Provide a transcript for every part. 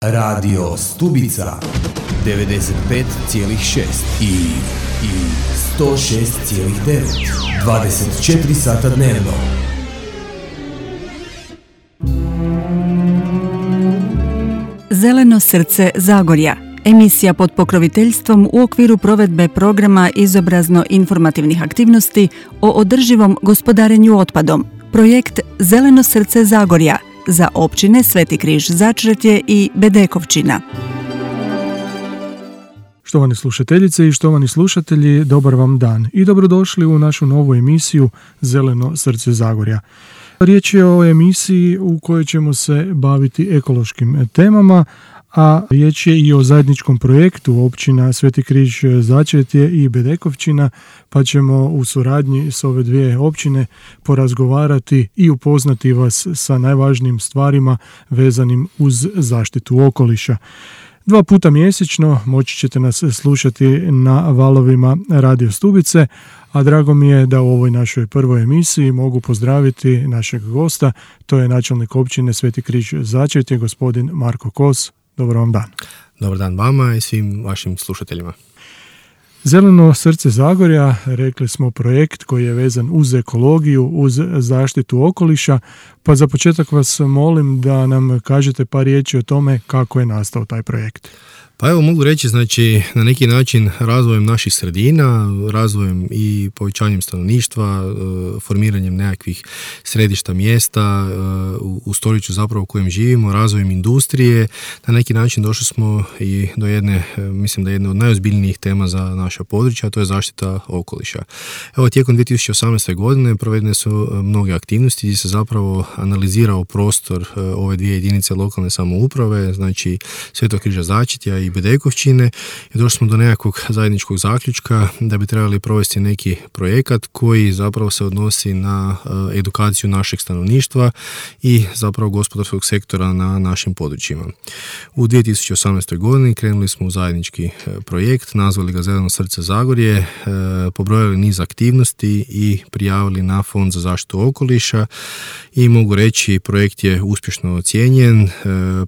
Radio Stubica 95,6 i 106,9 24 sata dnevno. Zeleno srce Zagorja. Emisija pod pokroviteljstvom u okviru provedbe programa izobrazno-informativnih aktivnosti o održivom gospodarenju otpadom. Projekt Zeleno srce Zagorja za općine Sveti Križ Začretje i Bedekovčina. Štovane slušateljice i štovani slušatelji, dobar vam dan i dobrodošli u našu novu emisiju Zeleno srce Zagorja. Riječ je o emisiji u kojoj ćemo se baviti ekološkim temama, a riječ je i o zajedničkom projektu općina Sveti Križ Začretje i Bedekovčina, pa ćemo u suradnji s ove dvije općine porazgovarati i upoznati vas sa najvažnijim stvarima vezanim uz zaštitu okoliša. 2 puta mjesečno moći ćete nas slušati na valovima Radio Stubice, a drago mi je da u ovoj našoj prvoj emisiji mogu pozdraviti našeg gosta, to je načelnik općine Sveti Križ Začretje, gospodin Marko Kos. Dobar vam dan. Dobar dan vama i svim vašim slušateljima. Zeleno srce Zagorja, rekli smo, projekt koji je vezan uz ekologiju, uz zaštitu okoliša, pa za početak vas molim da nam kažete par riječi o tome kako je nastao taj projekt. Pa evo, mogu reći, znači, na neki način razvojem naših sredina, razvojem i povećanjem stanovništva, formiranjem nekakvih središta mjesta u stoljeću zapravo u kojem živimo, razvojem industrije, na neki način došli smo i do jedne, mislim da je jedna od najozbiljnijih tema za naša područja, a to je zaštita okoliša. Evo, tijekom 2018. godine provedene su mnoge aktivnosti gdje se zapravo analizirao prostor ove dvije jedinice lokalne samouprave, znači Svetog Križa Začretja i Bedekovčine, i došli smo do nekakvog zajedničkog zaključka da bi trebali provesti neki projekat koji zapravo se odnosi na edukaciju našeg stanovništva i zapravo gospodarskog sektora na našim područjima. U 2018. godini krenuli smo u zajednički projekt, nazvali ga Zeleno srce Zagorje, pobrojali niz aktivnosti i prijavili na Fond za zaštitu okoliša i mogu reći projekt je uspješno ocijenjen.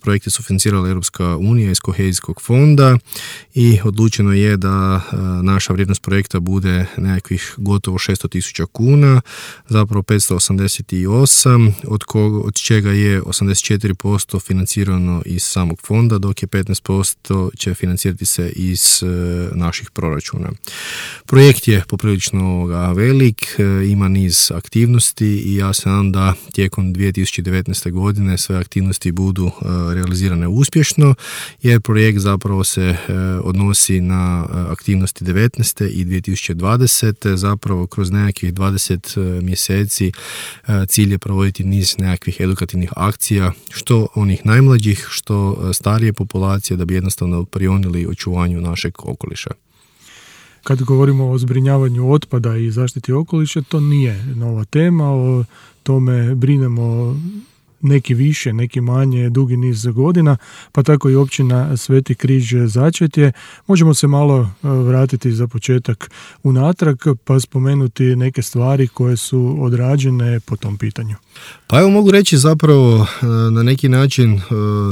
Projekt je sufinancirala Europska unija iz kohezijskog fonda i odlučeno je da naša vrijednost projekta bude nekakvih gotovo 600.000 kuna, zapravo 588, od čega je 84% financirano iz samog fonda, dok je 15% će financirati se iz naših proračuna. Projekt je poprilično velik, ima niz aktivnosti i ja se nadam da tijekom 2019. godine sve aktivnosti budu realizirane uspješno, jer projekt zapravo se odnosi na aktivnosti 19. i 2020. Zapravo kroz nekakvih 20 mjeseci cilj je provoditi niz nekakvih edukativnih akcija, što onih najmlađih, što starije populacije, da bi jednostavno prionili očuvanju našeg okoliša. Kad govorimo o zbrinjavanju otpada i zaštiti okoliša, to nije nova tema, o tome brinemo neki više, neki manje, dugi niz godina, pa tako i općina Sveti Križ Začretje. Možemo se malo vratiti za početak unatrag pa spomenuti neke stvari koje su odrađene po tom pitanju. Pa evo, mogu reći zapravo na neki način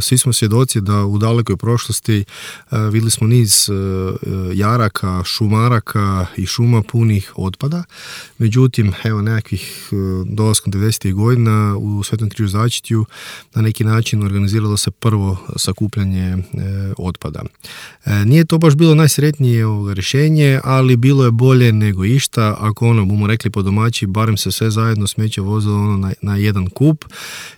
svi smo svjedoci da u dalekoj prošlosti vidjeli smo niz jaraka, šumaraka i šuma punih otpada. Međutim, evo, nekakvih dolaskom 90. godina u Svetom Križu Začretju na neki način organiziralo se prvo sakupljanje otpada. Nije to baš bilo najsretnije rješenje, ali bilo je bolje nego išta. Ako bomo rekli po domaći, barem se sve zajedno smeće vozilo na jedan kup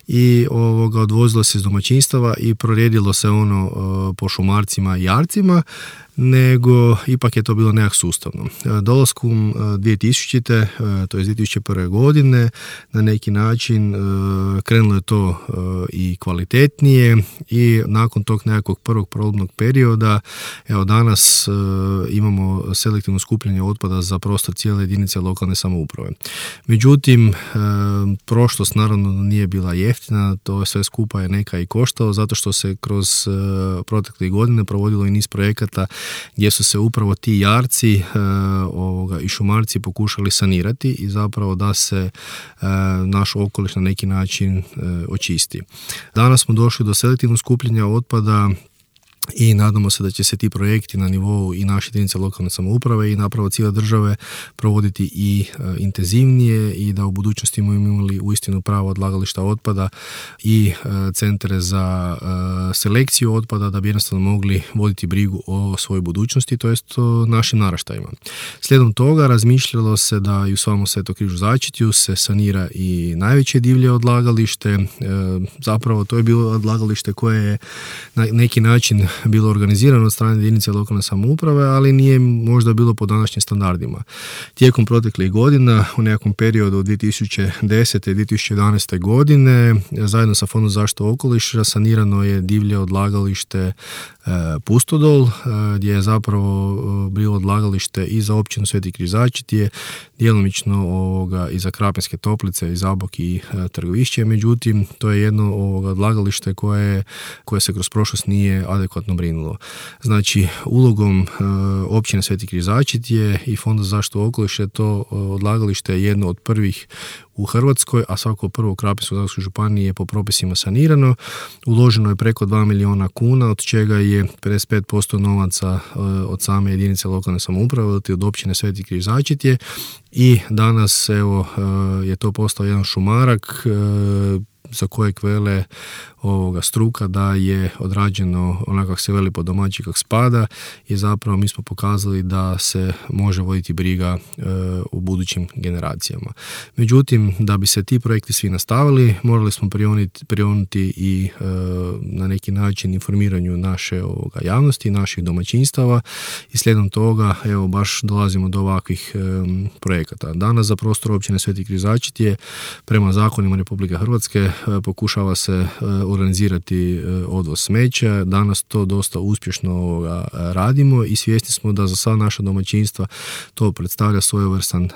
i odvozilo se iz domaćinstava i prorijedilo se po šumarcima i jarcima, nego ipak je to bilo nekak sustavno. Dolaskom 2000. to je 2001. godine, na neki način krenulo je to i kvalitetnije i nakon tog nekakvog prvog probnog perioda, evo danas imamo selektivno skupljanje otpada za prostor cijele jedinice lokalne samouprave. Međutim, prošlost naravno nije bila jeftina, to sve skupa je neka i koštalo, zato što se kroz protekle godine provodilo i niz projekata gdje su se upravo ti jarci i šumarci pokušali sanirati i zapravo da se naš okoliš na neki način očisti. Danas smo došli do selektivnog skupljanja otpada i nadamo se da će se ti projekti na nivou i naše jedinice lokalne samouprave i napravo cijele države provoditi i intenzivnije i da u budućnosti imali uistinu pravo odlagališta otpada i centre za selekciju otpada da bi jednostavno mogli voditi brigu o svojoj budućnosti, to jest o našim naraštajima. Slijedom toga razmišljalo se da i u samom Svetom Križu Začetju se sanira i najveće divlje odlagalište. Zapravo to je bilo odlagalište koje je na neki način bilo organizirano od strane jedinice lokalne samouprave, ali nije možda bilo po današnjim standardima. Tijekom proteklih godina, u nekakvom periodu od 2010. i 2011. godine, zajedno sa Fondom za zaštitu okoliša sanirano je divlje odlagalište Pustodol, gdje je zapravo bilo odlagalište i za općinu Sveti Križ Začetje, djelomično i za Krapinske Toplice, i Zabok i Trgovišće, međutim to je jedno odlagalište koje se kroz prošlost nije adekvatno brinulo. Znači, ulogom općine Sveti Križ Začetje i Fonda za zaštitu okoliša to odlagalište je jedno od prvih u Hrvatskoj, a svako prvo u Krapinsko-zagorskoj županiji je po propisima sanirano. Uloženo je preko 2 milijuna kuna, od čega je 55% novaca od same jedinice lokalne samouprave, od općine Sveti Križ Začetje, i danas je to postao jedan šumarak za kojeg vele struka da je odrađeno onako kako se veli po domaći kako spada, i zapravo mi smo pokazali da se može voditi briga u budućim generacijama. Međutim, da bi se ti projekti svi nastavili, morali smo prionuti i na neki način informiranju naše javnosti, naših domaćinstava, i slijedom toga baš dolazimo do ovakvih projekata. Danas za prostor općine Sveti Križ Začetje prema zakonima Republike Hrvatske pokušava se organizirati odvoz smeća. Danas to dosta uspješno radimo i svjesni smo da za sva naša domaćinstva to predstavlja svojevrstan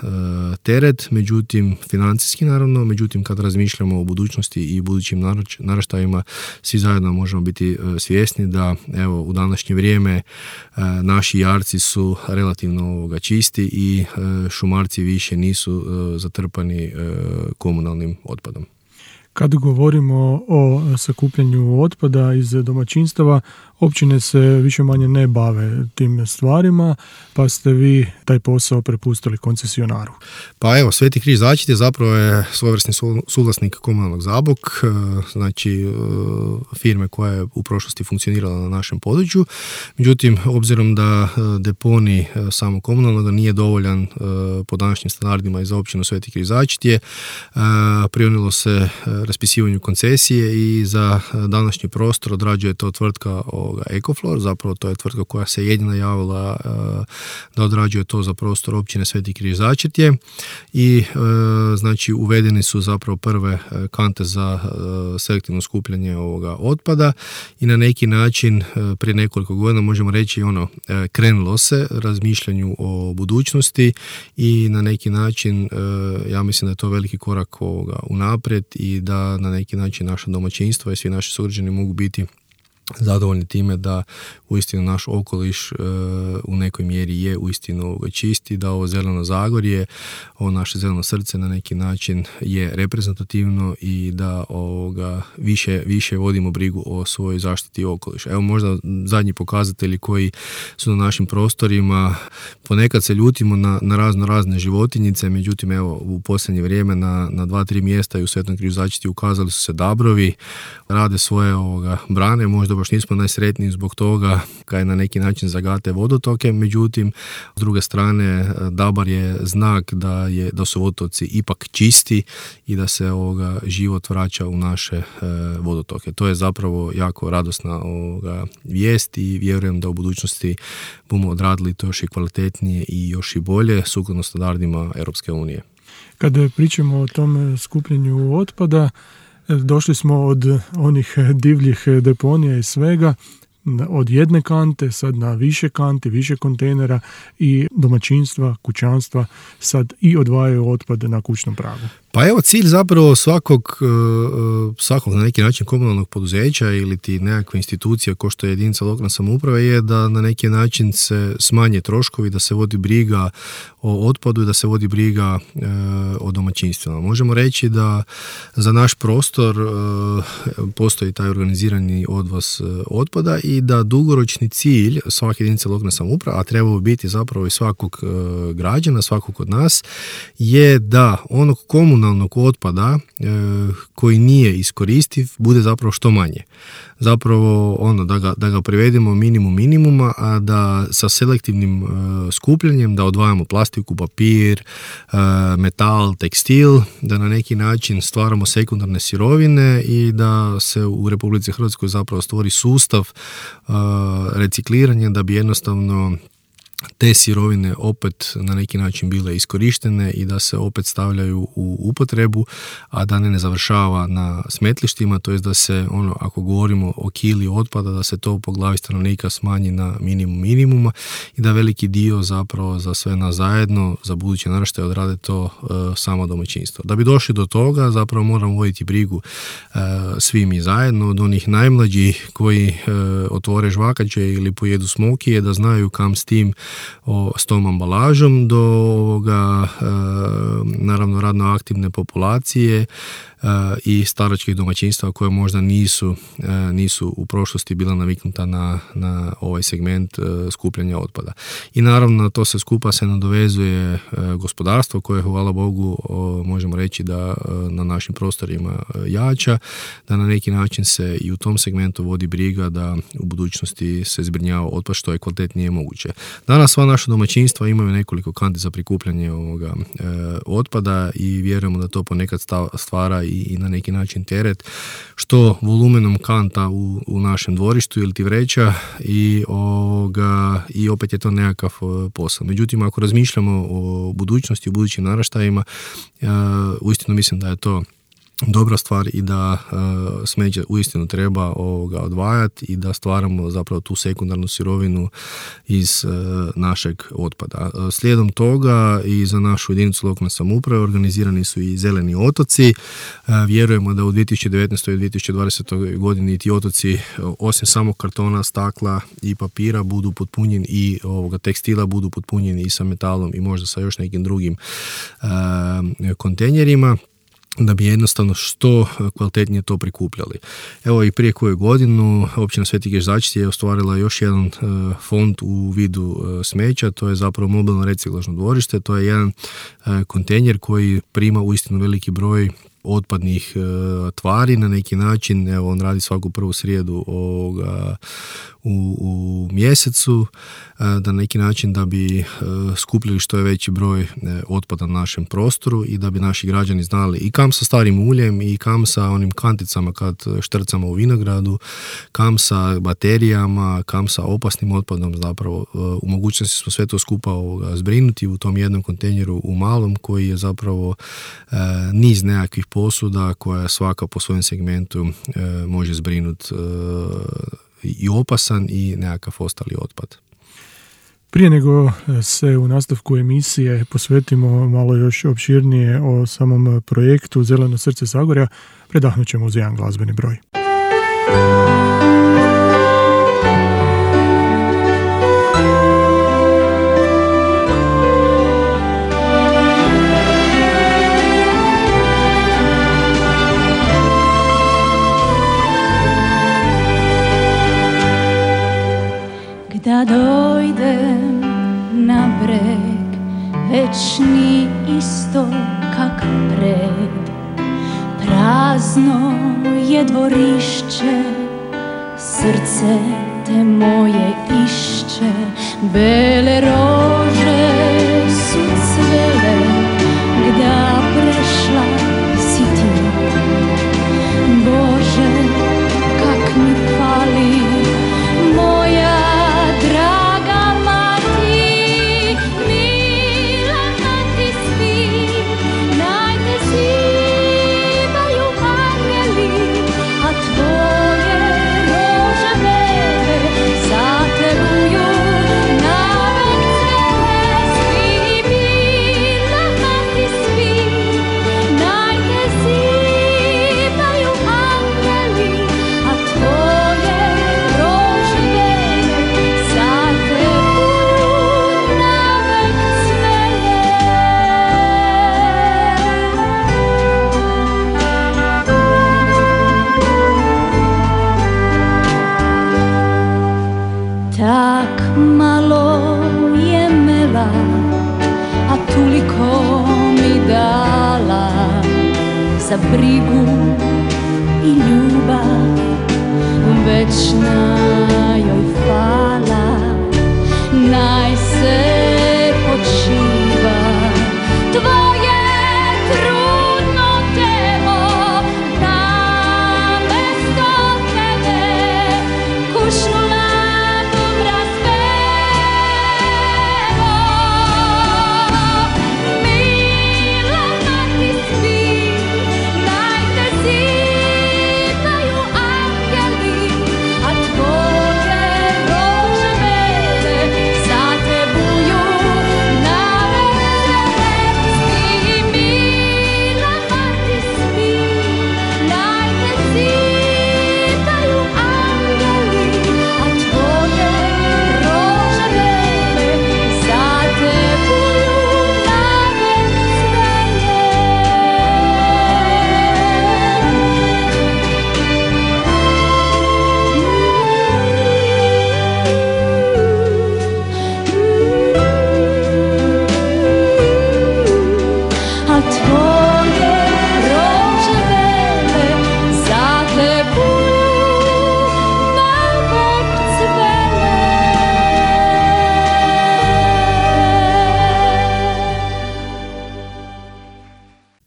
teret, međutim financijski naravno, međutim kad razmišljamo o budućnosti i budućim naraštajima, svi zajedno možemo biti svjesni da u današnje vrijeme naši jarci su relativno čisti i šumarci više nisu zatrpani komunalnim otpadom. Kad govorimo o sakupljanju otpada iz domaćinstava, općine se više manje ne bave tim stvarima, pa ste vi taj posao prepustili koncesionaru. Pa Sveti Križ Začetje zapravo je svojevrsni suvlasnik komunalnog Zabok, znači firme koja je u prošlosti funkcionirala na našem području. Međutim, obzirom da deponij samo komunalnog nije dovoljan po današnjim standardima i za općinu Sveti Križ Začetje, prionilo se raspisivanju koncesije i za današnji prostor odrađuje to tvrtka Ecoflor, zapravo to je tvrtka koja se jedina javila da odrađuje to za prostor općine Sveti Križ Začetje, i znači uvedeni su zapravo prve kante za selektivno skupljanje ovoga otpada, i na neki način prije nekoliko godina možemo reći krenulo se razmišljanju o budućnosti, i na neki način ja mislim da je to veliki korak unaprijed i da na neki način naša domaćinstva i svi naši sugrađani mogu biti zadovoljni time da uistinu naš okoliš u nekoj mjeri je uistinu čisti, da ovo zeleno Zagorje, ovo naše zeleno srce na neki način je reprezentativno i da više vodimo brigu o svojoj zaštiti okoliša. Evo možda zadnji pokazatelji koji su na našim prostorima, ponekad se ljutimo na razne životinjice, međutim u posljednje vrijeme na 2-3 mjesta i u Svetom Križu Začetju ukazali su se dabrovi, rade svoje brane, možda baš nismo najsretniji zbog toga kaj na neki način zagate vodotoke, međutim s druge strane dabar je znak da su vodotoci ipak čisti i da se život vraća u naše vodotoke. To je zapravo jako radosna vijest i vjerujem da u budućnosti bomo odradili to još i kvalitetnije i još i bolje sukladno standardima Europske unije. Kada pričamo o tom skupljanju otpada, došli smo od onih divljih deponija i svega od jedne kante sad na više kanti, više kontejnera i domaćinstva, kućanstva sad i odvajaju otpad na kućnom pragu. Pa evo, cilj zapravo svakog na neki način komunalnog poduzeća ili ti nekakve institucije kao što je jedinica lokalne samouprave je da na neki način se smanje troškovi, da se vodi briga o otpadu i da se vodi briga o domaćinstvima. Možemo reći da za naš prostor postoji taj organizirani odvoz otpada i da dugoročni cilj svake jedinice lokalne samouprave, a trebao biti zapravo i svakog građana, svakog od nas, je da onog komunalnog otpada koji nije iskoristiv bude zapravo što manje. Zapravo da ga privedemo minimum minimuma, a da sa selektivnim skupljanjem da odvajamo plastiku, papir, metal, tekstil, da na neki način stvaramo sekundarne sirovine i da se u Republici Hrvatskoj zapravo stvori sustav recikliranja da bi jednostavno te sirovine opet na neki način bile iskorištene i da se opet stavljaju u upotrebu, a da ne završava na smetlištima, to jest da se ako govorimo o kili otpada, da se to po glavi stanovnika smanji na minimum minimuma i da veliki dio zapravo za sve nas zajedno, za buduće naraštaje odrade to samo domaćinstvo. Da bi došli do toga, zapravo moramo voditi brigu svi mi zajedno, od onih najmlađih koji otvore žvakače ili pojedu smokije, da znaju kam s tom ambalažom, do ovoga naravno radno aktivne populacije i staračkih domaćinstva koje možda nisu u prošlosti bila naviknuta na ovaj segment skupljanja otpada. I naravno to se skupa se nadovezuje gospodarstvo koje, hvala Bogu, možemo reći da na našim prostorima jača, da na neki način se i u tom segmentu vodi briga da u budućnosti se zbrinjava otpad što je kvalitetnije moguće. Danas sva naša domaćinstva imaju nekoliko kanti za prikupljanje ovoga otpada i vjerujemo da to ponekad stvara i na neki način teret, što volumenom kanta u našem dvorištu ili ti vreća i opet je to nekakav posao. Međutim, ako razmišljamo o budućnosti, o budućim naraštajima, uistinu mislim da je to dobra stvar i da smeće uistinu treba odvajati i da stvaramo zapravo tu sekundarnu sirovinu iz našeg otpada. Slijedom toga i za našu jedinicu lokalne samouprave organizirani su i zeleni otoci. Vjerujemo da u 2019. i 2020. godini ti otoci osim samog kartona, stakla i papira budu potpunjeni i tekstila budu potpunjeni i sa metalom i možda sa još nekim drugim kontejnerima, da bi jednostavno što kvalitetnije to prikupljali. Evo i prije koju godinu općina Sveti Gežačci je ostvarila još jedan fond u vidu smeća, to je zapravo mobilno reciklažno dvorište, to je jedan kontejner koji prima uistinu veliki broj otpadnih tvari na neki način. Evo, on radi svaku prvu srijedu u mjesecu, da na neki način da bi skupljali što je veći broj otpada na našem prostoru i da bi naši građani znali i kam sa starim uljem i kam sa onim kanticama kad štrcamo u vinogradu, kam sa baterijama, kam sa opasnim otpadom. Zapravo u mogućnosti smo sve to skupa zbrinuti u tom jednom kontejneru u malom koji je zapravo niz nekakvih posuda koja svaka po svojem segmentu može zbrinuti i opasan i nekakav ostali otpad. Prije nego se u nastavku emisije posvetimo malo još opširnije o samom projektu Zeleno srce Zagorja, predahnut ćemo uz jedan glazbeni broj. Da dojdem na breg, večni isto kak pred. Prazno je dvorišće, srce te moje išće. Bele rože su cvele, gda prešla si ti. Bože, kak mi fali moja draga mati, mila mati svi, najte zivaju angeli, a tvoje rože bele Tak malo je mela, a toliko mi dala za brigu i ljubav, večna joj hvala, naj se počiva tvoje trudno telo, namesto tebe kušnula dobra spevo. Mila mati spi, naj te zidaju angeli, a tvoje rože bele za te buju na veselci. Mila mati spi, naj te zidaju angeli, a tvoje rože bele za te buju na a tvoje rože bele za te buju navek cvele.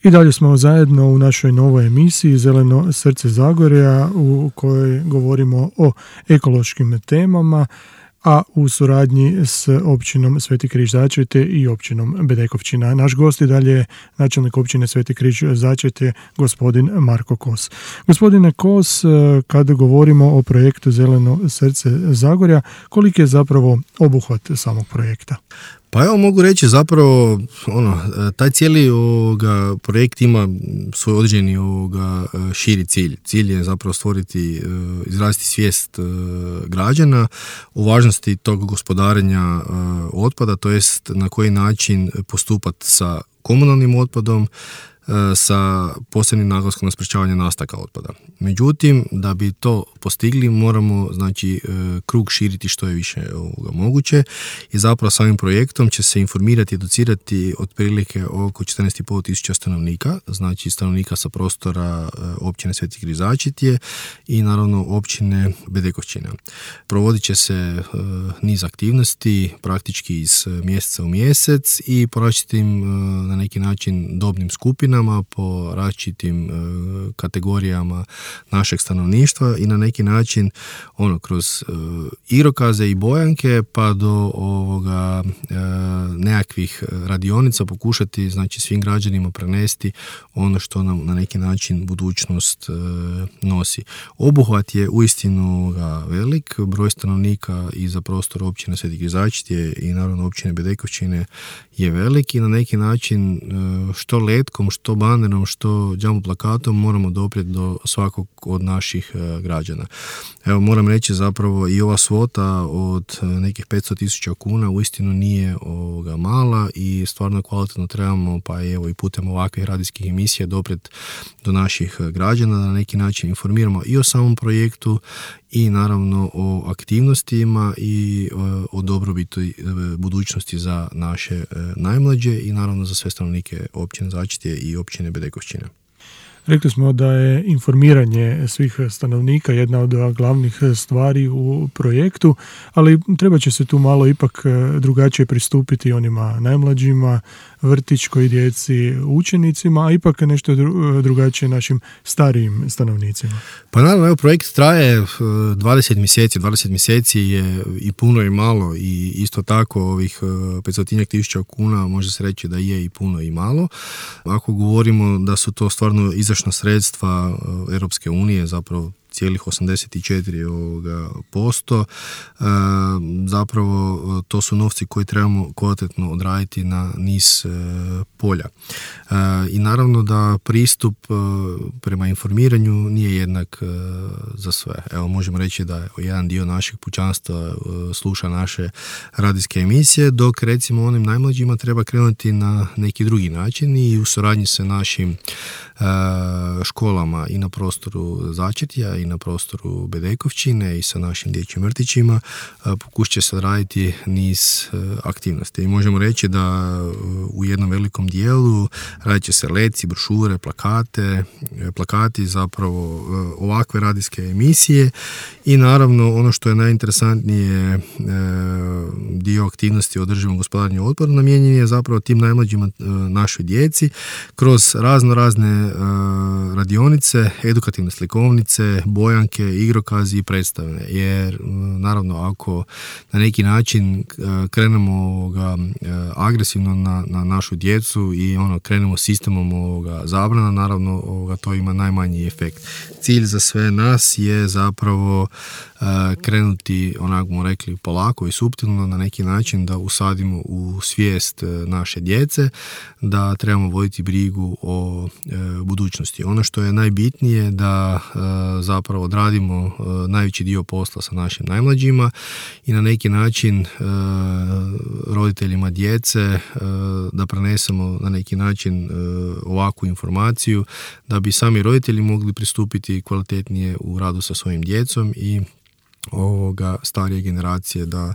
I dalje smo zajedno u našoj novoj emisiji Zeleno srce Zagorja u kojoj govorimo o ekološkim temama, a u suradnji s općinom Sveti Križ Začrete i općinom Bedekovčina. Naš gost i dalje je načelnik općine Sveti Križ Začrete, gospodin Marko Kos. Gospodine Kos, kada govorimo o projektu Zeleno srce Zagorja, koliki je zapravo obuhvat samog projekta? Pa evo mogu reći zapravo, taj cijeli projekt ima svoj određeni širi cilj. Cilj je zapravo stvoriti, izraziti svijest građana o važnosti tog gospodarenja otpada, to jest na koji način postupati sa komunalnim otpadom, sa posebnim naglaskom na sprečavanje nastanka otpada. Međutim, da bi to postigli, moramo krug širiti što je više moguće i zapravo samim projektom će se informirati i educirati otprilike oko 14.500 tisuća stanovnika, znači stanovnika sa prostora općine Sveti Križ Začretje i naravno općine Bedekovčina. Provodit će se niz aktivnosti praktički iz mjeseca u mjesec i po različitim na neki način dobnim skupinama, po različitim kategorijama našeg stanovništva i na neki način kroz igrokaze i bojanke pa do nekakvih radionica pokušati svim građanima prenesti ono što nam na neki način budućnost nosi. Obuhvat je uistinu velik, broj stanovnika i za prostor općine Sveti Križ Začretje i naravno općine Bedekovčine je velik i na neki način što letkom, što banerom, što jumbo plakatom moramo doprijeti do svakog od naših građana. Evo moram reći zapravo i ova svota od nekih 500.000 kuna uistinu nije mala i stvarno kvalitetno trebamo pa evo i putem ovakvih radijskih emisija doprijeti do naših građana, da na neki način informiramo i o samom projektu i naravno o aktivnostima i o dobrobiti budućnosti za naše najmlađe i naravno za sve stanovnike općine Začretje i općine Bedekovčine. Rekli smo da je informiranje svih stanovnika jedna od glavnih stvari u projektu, ali treba će se tu malo ipak drugačije pristupiti onima najmlađima, vrtićkoj djeci, učenicima, a ipak nešto drugačije našim starijim stanovnicima. Pa naravno, evo, projekt traje 20 mjeseci. 20 mjeseci je i puno i malo i isto tako ovih 500.000 kuna može se reći da je i puno i malo. Ako govorimo da su to stvarno izdašna sredstva Europske unije, zapravo cijelih 84%. Zapravo to su novci koji trebamo kvalitetno odraditi na niz polja. I naravno da pristup prema informiranju nije jednak za sve. Evo, možemo reći da jedan dio našeg pučanstva sluša naše radijske emisije, dok recimo onim najmlađima treba krenuti na neki drugi način i u suradnji sa našim školama i na prostoru Začetja i na prostoru Bedekovčine i sa našim dječjim vrtićima pokušat će se raditi niz aktivnosti. I možemo reći da u jednom velikom dijelu radit će se leci, brošure, plakati, zapravo ovakve radijske emisije i naravno ono što je najinteresantnije dio aktivnosti o održivom gospodarenju otpadom namijenjen je zapravo tim najmlađima našoj djeci kroz razne radionice, edukativne slikovnice, bojanke, igrokazi i predstave. Jer naravno ako na neki način krenemo agresivno na našu djecu i krenemo sistemom zabrana, naravno to ima najmanji efekt. Cilj za sve nas je zapravo krenuti, onako smo rekli, polako i suptilno na neki način da usadimo u svijest naše djece da trebamo voditi brigu o budućnosti. Ono što je najbitnije da zapravo odradimo najveći dio posla sa našim najmlađima i na neki način roditeljima djece da prenesemo na neki način ovakvu informaciju da bi sami roditelji mogli pristupiti kvalitetnije u radu sa svojim djecom i starije generacije da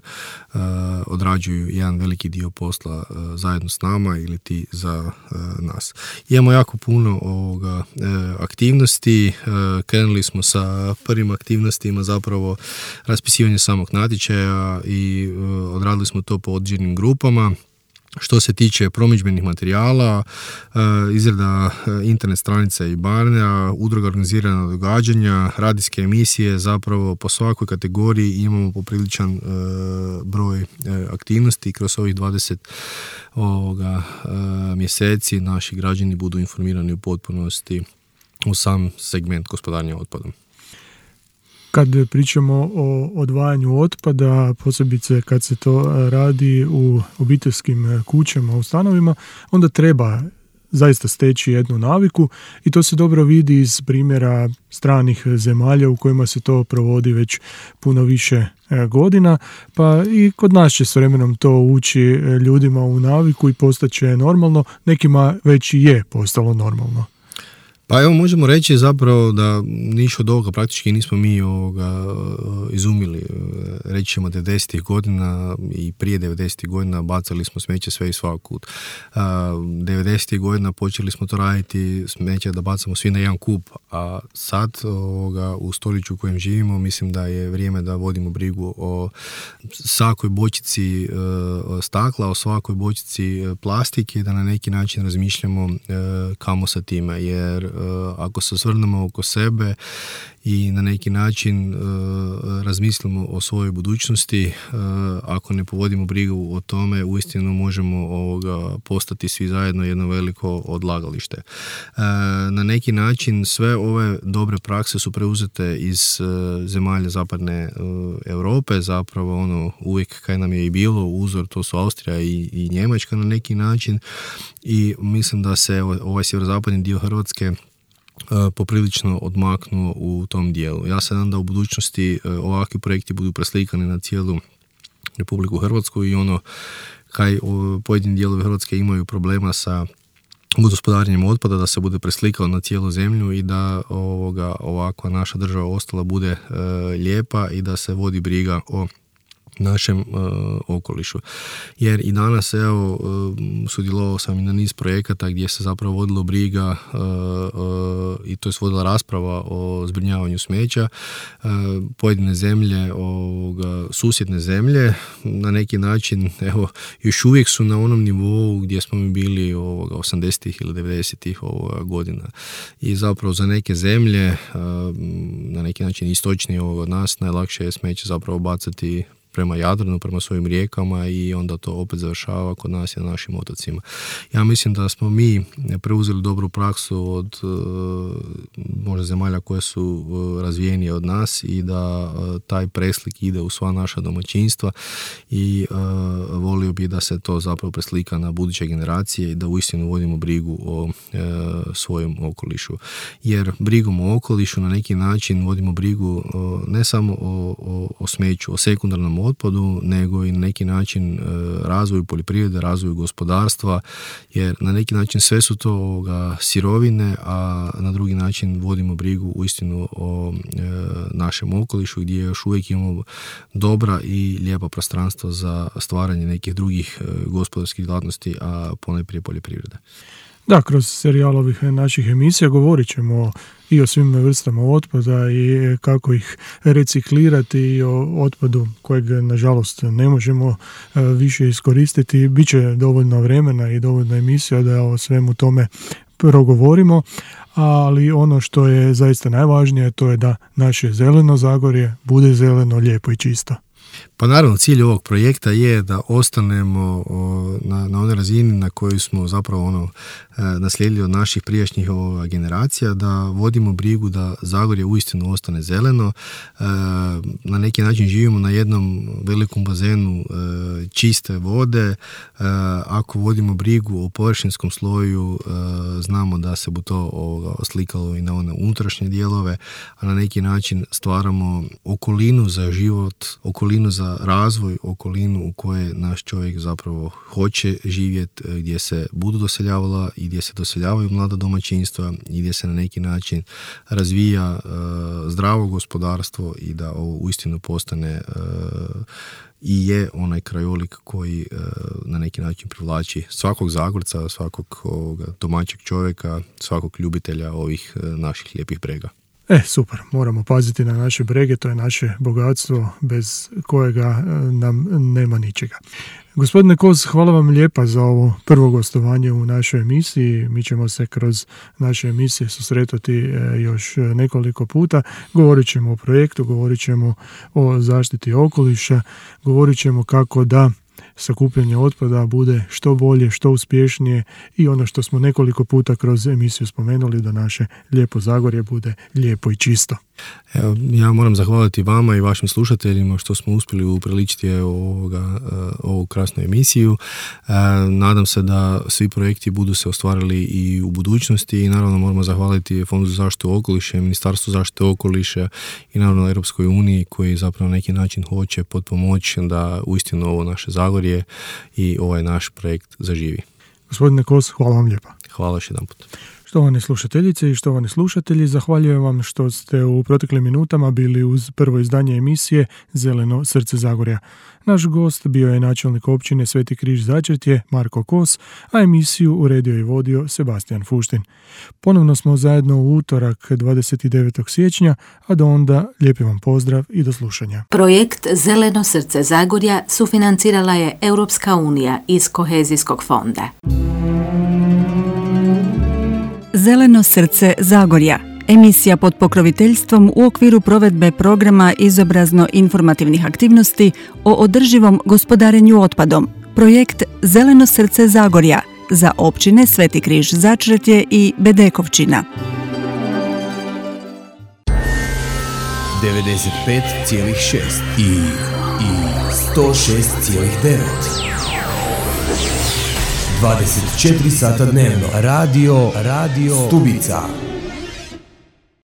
odrađuju jedan veliki dio posla zajedno s nama ili ti za nas. Imamo jako puno aktivnosti. Krenuli smo sa prvim aktivnostima zapravo raspisivanje samog natječaja i odradili smo to po određenim grupama. Što se tiče promidžbenih materijala, izrada internet stranica i barnja, udruga organizirana događanja, radijske emisije, zapravo po svakoj kategoriji imamo popriličan broj aktivnosti. Kroz ovih 20 mjeseci naši građani budu informirani u potpunosti u sam segment gospodarenja otpadom. Kad pričamo o odvajanju otpada, posebice kad se to radi u obiteljskim kućama, u stanovima, onda treba zaista steći jednu naviku i to se dobro vidi iz primjera stranih zemalja u kojima se to provodi već puno više godina, pa i kod nas će s vremenom to ući ljudima u naviku i postaće normalno, nekima već i je postalo normalno. Pa evo, možemo reći zapravo da niš od ovoga praktički nismo mi izumili. Reći ćemo 90-ih godina i prije 90-ih godina bacali smo smeće sve i svakud. 90-ih godina počeli smo to raditi, smeće da bacamo svi na jedan kup, a sad u stoljeću u kojem živimo mislim da je vrijeme da vodimo brigu o svakoj bočici stakla, o svakoj bočici plastike, da na neki način razmišljamo kamo sa time, jer ako se osvrnemo oko sebe i na neki način razmislimo o svojoj budućnosti, ako ne povodimo brigu o tome, uistinu možemo postati svi zajedno jedno veliko odlagalište. Na neki način sve ove dobre prakse su preuzete iz zemalja zapadne Europe, zapravo uvijek kaj nam je i bilo uzor, to su Austrija i Njemačka na neki način, i mislim da se ovaj sjeverozapadni dio Hrvatske poprilično odmaknuo u tom dijelu. Ja se nadam da u budućnosti ovakvi projekti budu preslikani na cijelu Republiku Hrvatsku i kaj pojedini dijelovi Hrvatske imaju problema sa gospodarenjem otpada, da se bude preslikalo na cijelu zemlju i da ovakva naša država ostala bude lijepa i da se vodi briga o našem okolišu. Jer i danas sudjelovao sam i na niz projekata gdje se zapravo vodilo briga i to je vodila rasprava o zbrinjavanju smeća. Pojedine zemlje, susjedne zemlje na neki način još uvijek su na onom nivou gdje smo mi bili 80-ih ili 90-ih godina. I zapravo za neke zemlje na neki način istočnije od nas najlakše je smeće zapravo bacati prema Jadranu, prema svojim rijekama i onda to opet završava kod nas i na našim otocima. Ja mislim da smo mi preuzeli dobru praksu od možda zemalja koje su razvijenije od nas i da taj preslik ide u sva naša domaćinstva i volio bi da se to zapravo preslika na buduće generacije i da uistinu vodimo brigu o svojem okolišu. Jer brigom o okolišu na neki način vodimo brigu ne samo o smeću, o sekundarnom otpadu, nego i na neki način razvoju poljoprivrede, razvoju gospodarstva, jer na neki način sve su to sirovine, a na drugi način vodimo brigu uistinu o našem okolišu gdje još uvijek imamo dobra i lijepa prostranstva za stvaranje nekih drugih gospodarskih djelatnosti, a ponajprije poljoprivrede. Da, kroz serijal ovih naših emisija govorit ćemo i o svim vrstama otpada i kako ih reciklirati i o otpadu kojeg nažalost ne možemo više iskoristiti. Biće dovoljno vremena i dovoljno emisija da o svemu tome progovorimo, ali ono što je zaista najvažnije to je da naše zeleno Zagorje bude zeleno, lijepo i čisto. Pa naravno, cilj ovog projekta je da ostanemo na onoj razini na kojoj smo zapravo naslijedili od naših prijašnjih generacija, da vodimo brigu da Zagorje uistinu ostane zeleno. Na neki način živimo na jednom velikom bazenu čiste vode. Ako vodimo brigu o površinskom sloju, znamo da se bu to oslikalo i na one unutrašnje dijelove, a na neki način stvaramo okolinu za život, okolinu za razvoj, okolinu u kojoj naš čovjek zapravo hoće živjeti, gdje se budu doseljavala i gdje se doseljavaju mlada domaćinstva i gdje se na neki način razvija zdravo gospodarstvo i da ovo uistinu postane i je onaj krajolik koji na neki način privlači svakog Zagorca, svakog domaćeg čovjeka, svakog ljubitelja ovih naših lijepih brega. Super, moramo paziti na naše brege, to je naše bogatstvo bez kojega nam nema ničega. Gospodine Kos, hvala vam lijepa za ovo prvo gostovanje u našoj emisiji. Mi ćemo se kroz naše emisije susretati još nekoliko puta. Govorit ćemo o projektu, govorit ćemo o zaštiti okoliša, govorit ćemo kako da sakupljanje otpada bude što bolje, što uspješnije i ono što smo nekoliko puta kroz emisiju spomenuli, da naše lijepo Zagorje bude lijepo i čisto. Evo, ja moram zahvaliti vama i vašim slušateljima što smo uspjeli upriličiti ovu krasnu emisiju. Nadam se da svi projekti budu se ostvarili i u budućnosti i naravno moramo zahvaliti Fondu za zaštitu okoliša, Ministarstvu zaštite okoliša i naravno Europskoj uniji koji zapravo na neki način hoće potpomoći da uistinu ovo naše Zagorje i ovaj naš projekt zaživi. Gospodine Kos, hvala vam lijepa. Hvala još jedan put. Štovane slušateljice i štovani slušatelji, zahvaljujem vam što ste u proteklim minutama bili uz prvo izdanje emisije Zeleno srce Zagorja. Naš gost bio je načelnik općine Sveti Križ Začretje Marko Kos, a emisiju uredio i vodio Sebastian Fuštin. Ponovno smo zajedno u utorak 29. siječnja, a do onda lijepi vam pozdrav i do slušanja. Projekt Zeleno srce Zagorja sufinancirala je Europska unija iz Kohezijskog fonda. Zeleno srce Zagorja, emisija pod pokroviteljstvom u okviru provedbe programa izobrazno-informativnih aktivnosti o održivom gospodarenju otpadom. Projekt Zeleno srce Zagorja za općine Sveti Križ Začretje i Bedekovčina. 95,6 i 106,9. 24 sata dnevno. Radio Stubica.